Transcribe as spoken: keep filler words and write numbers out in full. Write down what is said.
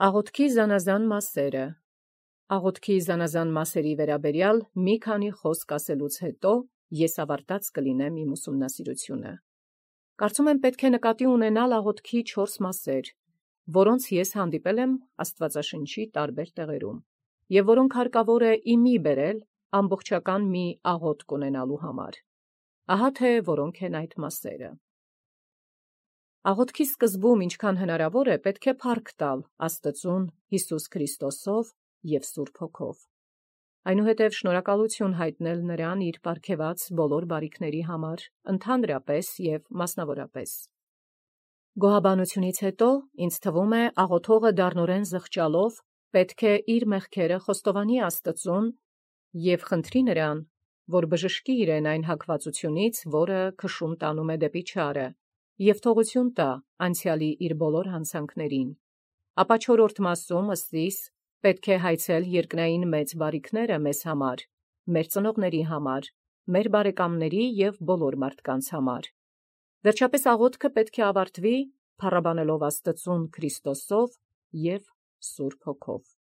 Աղոթքի զանազան մասերը։ Աղոթքի զանազան մասերի վերաբերյալ մի քանի խոսք ասելուց հետո ես ավարտած կլինեմ իմ ուսումնասիրությունը։ Կարծում եմ պետք է նկատի ունենալ աղոթքի չորս մասեր, որոնց ես հանդիպել եմ Աստվածաշնչի տարբեր տեղերում, և որոնք հարկավոր է իմի բերել ամբողջական մի աղոթք ունենալու համար։ Ահա թե որոնք են այդ մասերը։ Աղոթքի սկզբում, ինչքան հնարավոր է, պետք է փառք տալ Աստծուն Հիսուս Քրիստոսով և Սուրբ Հոգով։ Այնուհետև շնորհակալություն հայտնել նրան իր պարգևած բոլոր բարիքների համար, ընդհանրապես և մասնավորապես։ Գոհաբանությունից հետո ինձ թվում է աղոթողը դառնորեն զղջալով պետք է իր մեղքերը խոստովանի Աստծուն և խնդրի նրան, որ բժշկի իրեն այն հակվածությունից, որը քշում տանում է դեպի չարը, և թողություն տա անցյալի իր բոլոր հանցանքներին։ Ապա չորրորդ մասում ըստ իս պետք է հայցել երկնային մեծ բարիքները մեզ համար, մեր ծնողների համար, մեր բարեկամների և բոլոր մարդկանց համար։ Վերջապես աղոթքը պետք է ավարտվի փառաբանելով Աստծուն Քրիստոսով և Սուրբ Հոգով։